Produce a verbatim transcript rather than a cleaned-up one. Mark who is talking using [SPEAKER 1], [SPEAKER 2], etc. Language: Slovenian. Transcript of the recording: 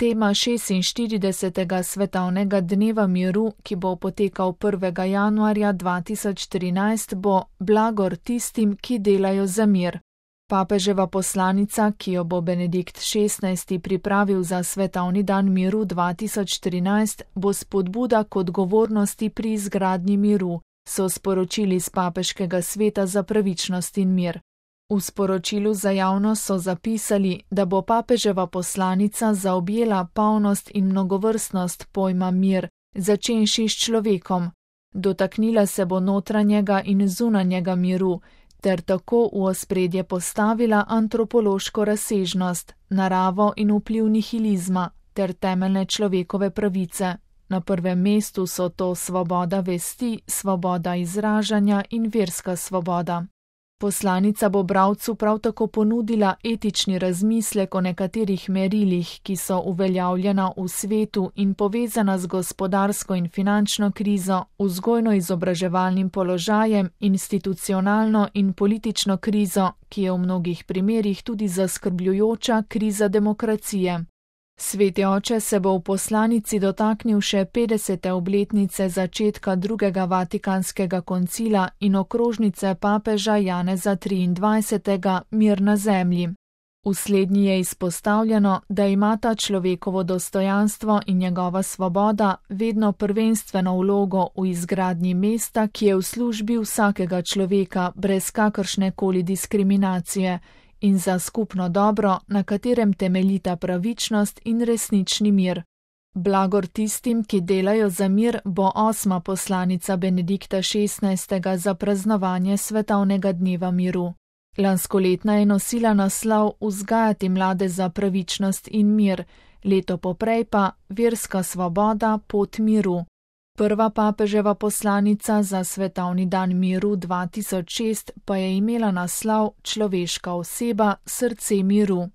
[SPEAKER 1] Tema šestinštiridesetega svetovnega dneva miru, ki bo potekal prvega januarja dva tisoč trinajst, bo Blagor tistim, ki delajo za mir. Papeževa poslanica, ki jo bo Benedikt šestnajsti pripravil za svetovni dan miru dva tisoč trinajst, bo spodbuda k odgovornosti pri izgradnji miru, so sporočili z Papeškega sveta za pravičnost in mir. V sporočilu za javnost so zapisali, da bo papeževa poslanica zaobjela polnost in mnogovrstnost pojma mir, začenši s človekom. Dotaknila se bo notranjega in zunanjega miru, ter tako v ospredje postavila antropološko razsežnost, naravo in vpliv nihilizma, ter temeljne človekove pravice. Na prvem mestu so to svoboda vesti, svoboda izražanja in verska svoboda. Poslanica bo bralcu prav tako ponudila etični razmislek o nekaterih merilih, ki so uveljavljena v svetu in povezana z gospodarsko in finančno krizo, vzgojno-izobraževalnim položajem, institucionalno in politično krizo, ki je v mnogih primerih tudi zaskrbljujoča kriza demokracije. Sveti oče se bo v poslanici dotaknil še petdesete obletnice začetka drugega Vatikanskega koncila in okrožnice papeža Janeza triindvajsetega Mir na zemlji. V slednji je izpostavljeno, da imata človekovo dostojanstvo in njegova svoboda vedno prvenstveno vlogo v izgradnji mesta, ki je v službi vsakega človeka brez kakršne koli diskriminacije, in za skupno dobro, na katerem temeljita pravičnost in resnični mir. Blagor tistim, ki delajo za mir, bo osma poslanica Benedikta šestnajstega za praznovanje svetovnega dneva miru. Lanskoletna je nosila naslov Vzgajati mlade za pravičnost in mir, leto poprej pa Verska svoboda, pot miru. Prva papeževa poslanica za svetovni dan miru dva tisoč šest pa je imela naslov Človeška oseba, srce miru.